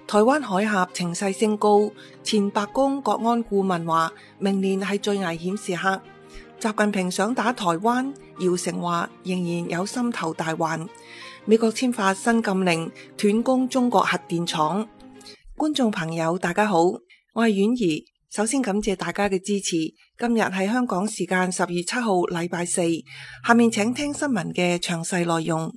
台灣海峽情勢升高，前白宮國安顧問話明年係最危險時刻。習近平想打台灣，姚成話仍然有心頭大患。美國簽發新禁令，斷供中國核電廠。觀眾朋友大家好，我係婉儀，首先感謝大家嘅支持。今日係香港時間10月7號禮拜四，下面請聽新聞嘅詳細內容。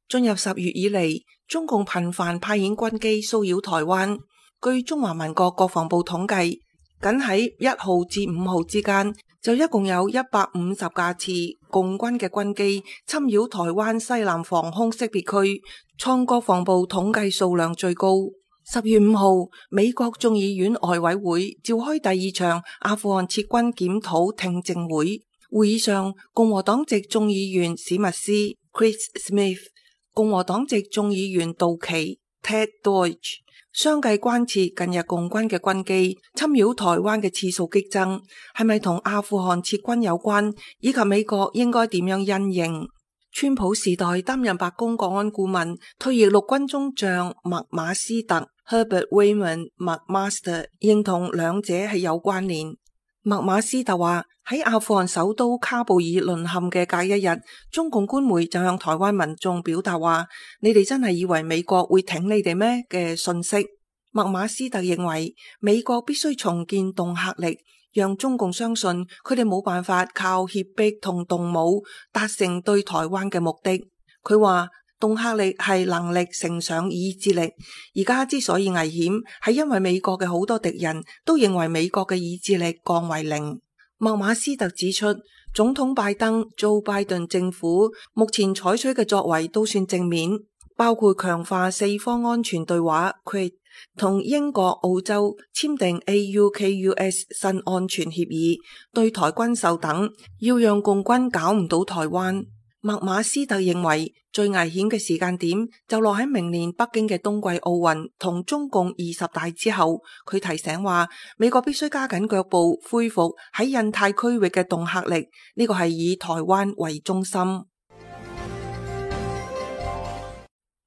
進入10月以嚟，中共頻繁派遣軍機騷擾台灣。據中華民國國防部統計，僅喺1號至5號之間，就一共有150架次共軍嘅軍機侵擾台灣西南防空識別區，創國防部統計數量最高。10月5號，美國眾議院外委會召開第2場阿富汗撤軍檢討聽證會，會議上，共和黨籍眾議員史密斯 Chris Smith、共和黨籍眾議員杜奇 Ted Deutch 相繼關切近日共軍嘅軍機侵擾台灣嘅次數激增，係咪同阿富汗撤軍有關，以及美國應該點樣因應。川普時代擔任白宮國安顧問，退役陸軍中將麥馬斯特 Herbert Wayman McMaster 認同兩者係有關聯。麥馬斯特話，喺阿富汗首都喀布爾淪陷嘅隔一日，中共官媒就向台灣民眾表達話，你哋真係以為美國會挺你哋咩嘅信息。麥馬斯特認為美國必須重建恫嚇力，讓中共相信佢哋冇辦法靠脅迫同動武達成對台灣嘅目的。佢話恫嚇力係能力乘上意志力，而家之所以危險，係因為美國嘅好多敵人都認為美國嘅意志力降為零。麥馬斯特指出，總統拜登 Joe Biden 政府目前採取嘅作為都算正面，包括強化四方安全對話 QUAD 同英國、澳洲簽訂 AUKUS 新安全協議，對台軍售等，要讓共軍搞唔到台灣。麥馬斯特認為最危險嘅時間點就落喺明年北京嘅冬季奧運同中共20大之後。佢提醒話，美國必須加緊腳步恢復喺印太區域嘅恫嚇力，呢個係以台灣為中心。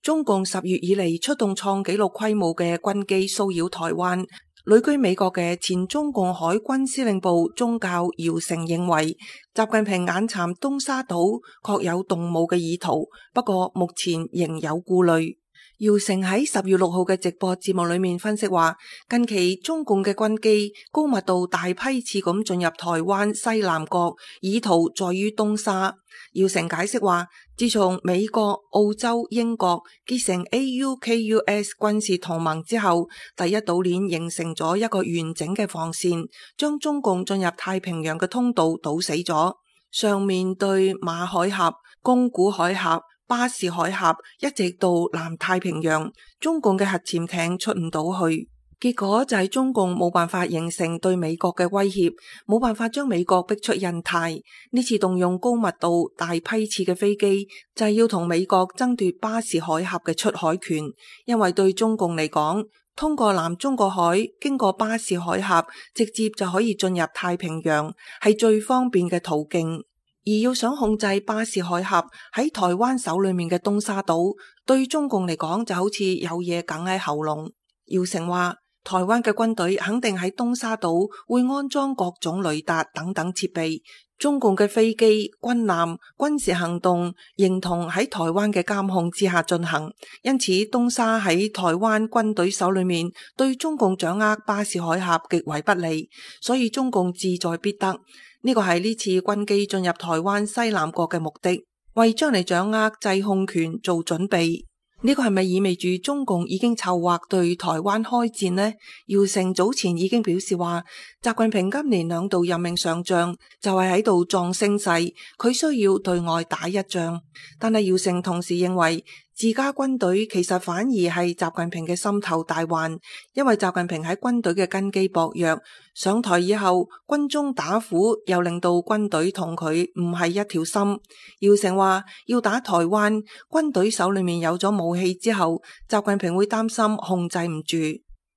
中共10月以嚟出動創紀錄規模嘅軍機騷擾台灣。旅居美國嘅前中共海軍司令部中校姚成認為，習近平眼蠶東沙島確有動武嘅意圖，不過目前仍有顧慮。姚成喺10月6號嘅直播節目裏面分析話，近期中共嘅軍機高密度大批次咁進入台灣西南角，意圖在於東沙。姚成解釋話，自從美國、澳洲、英國結成 AUKUS 軍事同盟之後，第一島鏈形成咗一個完整嘅防線，將中共進入太平洋嘅通道堵死咗。上面對馬海峽、宮古海峽、巴士海峽一直到南太平洋，中共嘅核潛艇出唔到去。結果就係中共冇辦法形成對美國嘅威脅，冇辦法將美國逼出印太。呢次動用高密度大批次嘅飛機，就係要同美國爭奪巴士海峽嘅出海權。因為對中共嚟講，通過南中國海，經過巴士海峽，直接就可以進入太平洋，係最方便嘅途徑。而要想控制巴士海峽喺台灣手裏面嘅東沙島，對中共嚟講就好似有嘢梗喺喉嚨。姚成話，台灣嘅軍隊肯定喺東沙島會安裝各種雷達等等設備，中共嘅飛機、軍艦、軍事行動認同喺台灣嘅監控之下進行，因此東沙喺台灣軍隊手裏面，對中共掌握巴士海峽極為不利，所以中共志在必得。呢個係呢次軍機進入台灣西南角嘅目的，為將嚟掌握制控權做準備。呢個係咪意味住中共已經籌劃對台灣開戰呢？姚成早前已經表示話，習近平今年2度任命上將，就係喺度壯聲勢，佢需要對外打一仗。但係姚成同時認為，自家軍隊其實反而係習近平嘅心頭大患，因為習近平喺軍隊嘅根基薄弱，上台以後軍中打虎，又令到軍隊同佢唔係一條心。姚成話要打台灣，軍隊手裏面有咗武器之後，習近平會擔心控制唔住。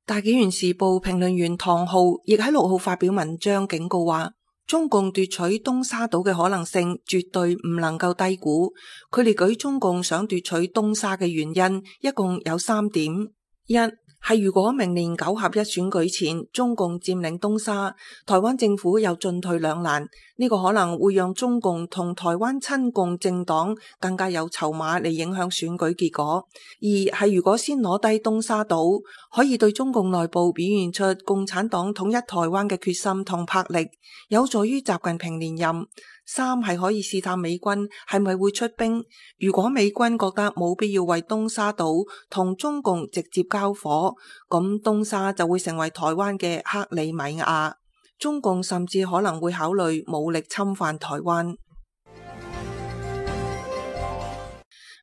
大紀元時報評論員唐浩亦喺6號發表文章警告話，中共奪取東沙島嘅可能性絕對唔能夠低估。佢列舉中共想奪取東沙嘅原因，一共有3點。一係如果明年9合1選舉前中共佔領東沙，台灣政府有進退兩難，呢個可能會讓中共同台灣親共政黨更加有籌碼嚟影響選舉結果。二係如果先攞低東沙島，可以對中共內部表現出共產黨統一台灣嘅決心同魄力，有助於習近平連任。三係可以試探美軍係咪會出兵，如果美軍覺得冇必要為東沙島同中共直接交火，咁東沙就會成為台灣嘅克里米亞，中共甚至可能會考慮武力侵犯台灣。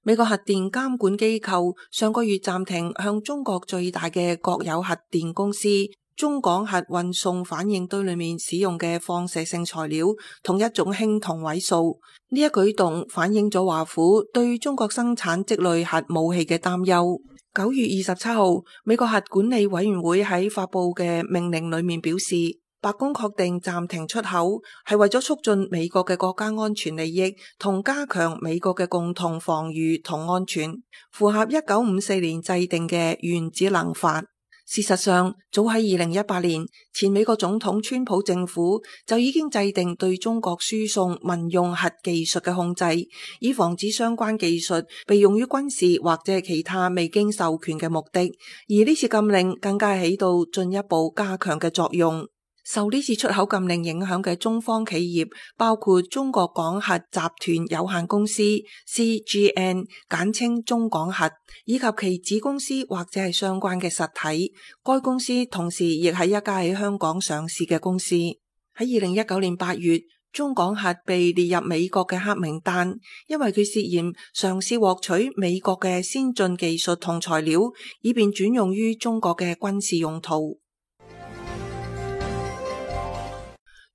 美國核電監管機構上個月暫停向中國最大嘅國有核電公司中廣核運送反應堆裏面使用嘅放射性材料同一種氫同位素，呢一舉動反映咗華府對中國生產積累核武器嘅擔憂。9月27號，美國核管理委員會喺發佈嘅命令裏面表示，白宮確定暫停出口係為咗促進美國嘅國家安全利益同加強美國嘅共同防禦同安全，符合1954年制定嘅原子能法。事實上，早喺2018年，前美國總統川普政府就已經制定對中國輸送民用核技術嘅控制，以防止相關技術被用於軍事或者其他未經授權嘅目的。而呢次禁令更加起到進一步加強嘅作用。受呢次出口禁令影響嘅中方企業包括中國廣核集團有限公司 CGN 簡稱中廣核，以及其子公司或者係相關嘅實體。該公司同時亦係一家喺香港上市嘅公司。喺2019年8月，中廣核被列入美國嘅黑名單，因為佢涉嫌嘗試獲取美國嘅先進技術同材料，以便轉用於中國嘅軍事用途。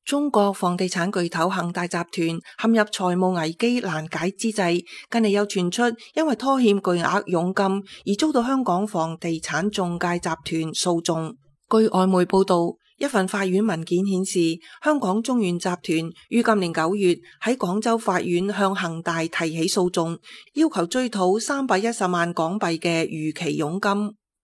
中國房地產巨頭恒大集團陷入財務危機難解之際，近嚟又傳出因為拖欠巨額佣金而遭到香港房地產中介集團訴訟。據外媒報道，一份法院文件顯示，香港中原集團於今年9月喺廣州法院向恒大提起訴訟，要求追討310萬港幣嘅逾期佣金。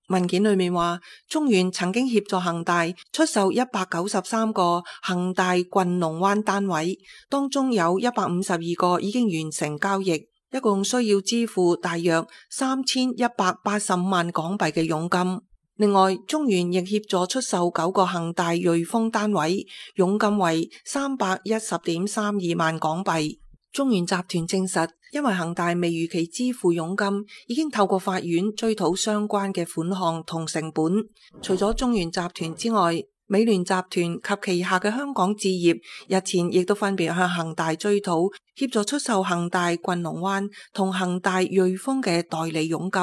文件裏面話，中原曾經協助恒大出售193個恒大郡龍灣單位，當中有152個已經完成交易，一共需要支付大約3185萬港幣嘅佣金。另外，中原亦協助出售9個恒大瑞豐單位，佣金為310.32萬港幣。中原集團證實，因為恒大未如期支付佣金，已經透過法院追討相關嘅款項同成本。除咗中原集團之外，美聯集團及旗下嘅香港置業日前亦都分別向恒大追討協助出售恒大郡龍灣同恒大瑞豐嘅代理佣金。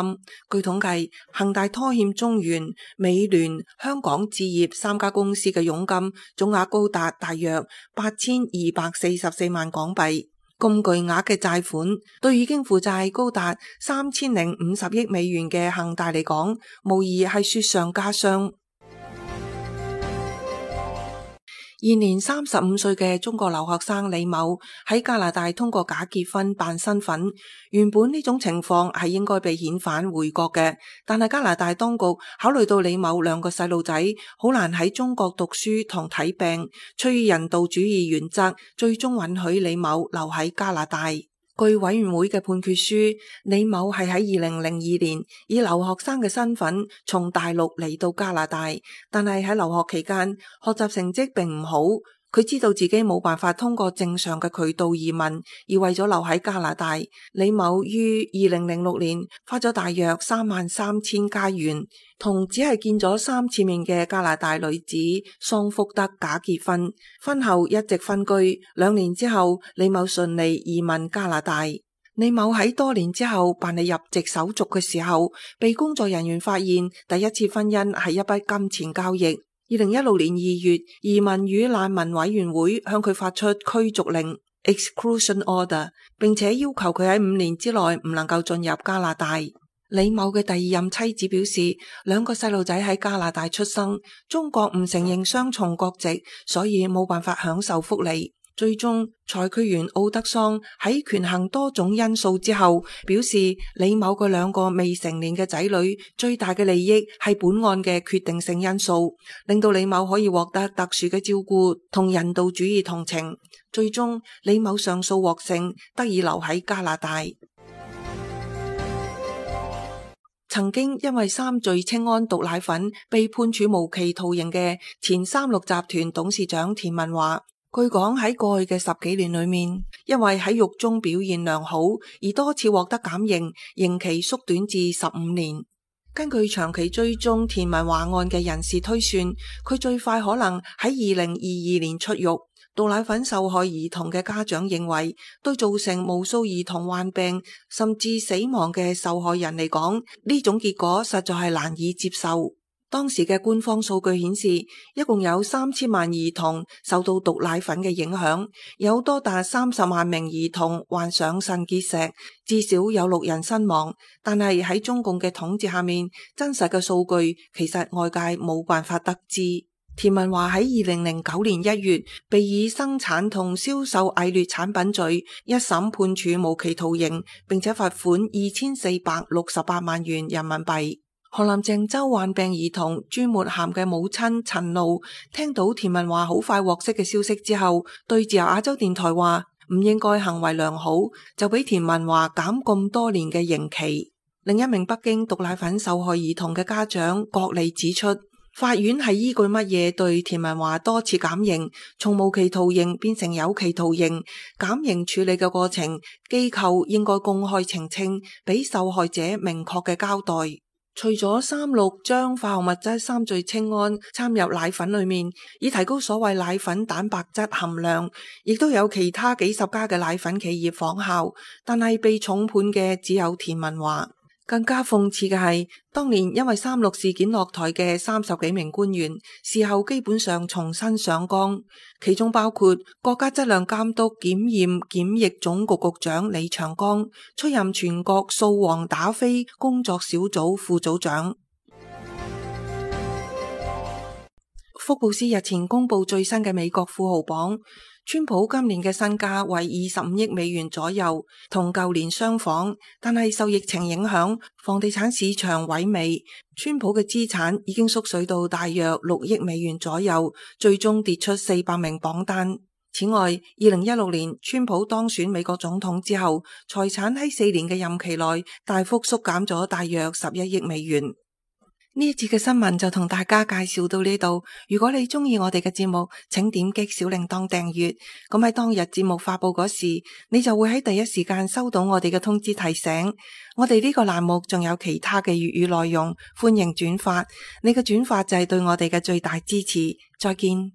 據統計，恒大拖欠中原、美聯、香港置業3家公司嘅佣金總額高達大約8244萬港幣。咁巨額嘅債款，對已經負債高達3050億美元嘅恒大嚟講，無疑係雪上加霜。現年35歲嘅中國留學生李某喺加拿大通過假結婚辦身份，原本呢種情況係應該被遣返回國嘅，但係加拿大當局考慮到李某2個細路仔好難喺中國讀書同睇病，出於人道主義原則，最終允許李某留喺加拿大。據委員會嘅判決書，李某係喺2002年以留學生嘅身份從大陸嚟到加拿大，但係喺留學期間學習成績並唔好。佢知道自己冇辦法通過正常嘅渠道移民，而為咗留喺加拿大，李某於2006年花咗大約33000加元，同只係見咗3次面嘅加拿大女子桑福德假結婚，婚後一直分居。2年之後，李某順利移民加拿大。李某喺多年之後辦理入籍手續嘅時候，被工作人員發現第一次婚姻係一筆金錢交易。2016年2月，移民與難民委員會向佢發出驅逐令 （exclusion order）， 並且要求佢喺5年之內唔能夠進入加拿大。李某嘅第二任妻子表示，兩個細路仔喺加拿大出生，中國唔承認雙重國籍，所以冇辦法享受福利。最終，裁決員奧德桑喺權衡多種因素之後，表示李某嘅兩個未成年嘅仔女最大嘅利益係本案嘅決定性因素，令到李某可以獲得特殊嘅照顧同人道主義同情。最終，李某上訴獲勝，得以留喺加拿大。曾經因為三聚氰胺毒奶粉被判處無期徒刑嘅前三鹿集團董事長田文華，據講喺過去嘅10幾年裏面，因為喺獄中表現良好而多次獲得減刑，刑期縮短至15年。根據長期追蹤田文華案嘅人士推算，佢最快可能喺2022年出獄。毒奶粉受害兒童嘅家長認為，對造成無數兒童患病甚至死亡嘅受害人嚟講，呢種結果實在係難以接受。當時嘅官方數據顯示，一共有3000萬兒童受到毒奶粉嘅影響，有多達30萬名兒童患上腎結石，至少有6人身亡。但係喺中共嘅統治下面，真實嘅數據其實外界冇辦法得知。田文華喺2009年1月被以生產同銷售偽劣產品罪一審判處無期徒刑，並且罰款2468萬元人民幣。河南鄭州患病兒童朱末涵嘅母親陳露聽到田文華好快獲釋嘅消息之後，對自由亞洲電台話唔應該行為良好，就俾田文華減咁多年嘅刑期。另一名北京毒奶粉受害兒童嘅家長郭麗指出，法院係依據乜嘢對田文華多次減刑，從無期徒刑變成有期徒刑？減刑處理嘅過程，機構應該公開澄清，俾受害者明確嘅交代。除咗三鹿將化學物質三聚氰胺摻入奶粉裏面，以提高所謂奶粉蛋白質含量，亦都有其他幾十家嘅奶粉企業仿效，但係被重判嘅只有田文華。更加諷刺嘅係，當年因為三鹿事件落台嘅30幾名官員，事後基本上重新上崗，其中包括國家質量監督檢驗檢疫總局局長李長江，出任全國掃黃打非工作小組副組長。福布斯日前公布最新嘅美國富豪榜，川普今年嘅身價為25億美元左右，同舊年相仿，但係受疫情影響，房地產市場萎靡，川普嘅資產已經縮水到大約6億美元左右，最終跌出400名榜單。此外，2016年川普當選美國總統之後，財產喺4年嘅任期內大幅縮減咗大約11億美元。呢一節嘅新聞就同大家介紹到呢度。如果你中意我哋嘅節目，請點擊小鈴鐺訂閱。咁喺當日節目發布嗰時，你就會喺第一時間收到我哋嘅通知提醒。我哋呢個欄目仲有其他嘅粵語內容，歡迎轉發。你嘅轉發就係對我哋嘅最大支持。再見。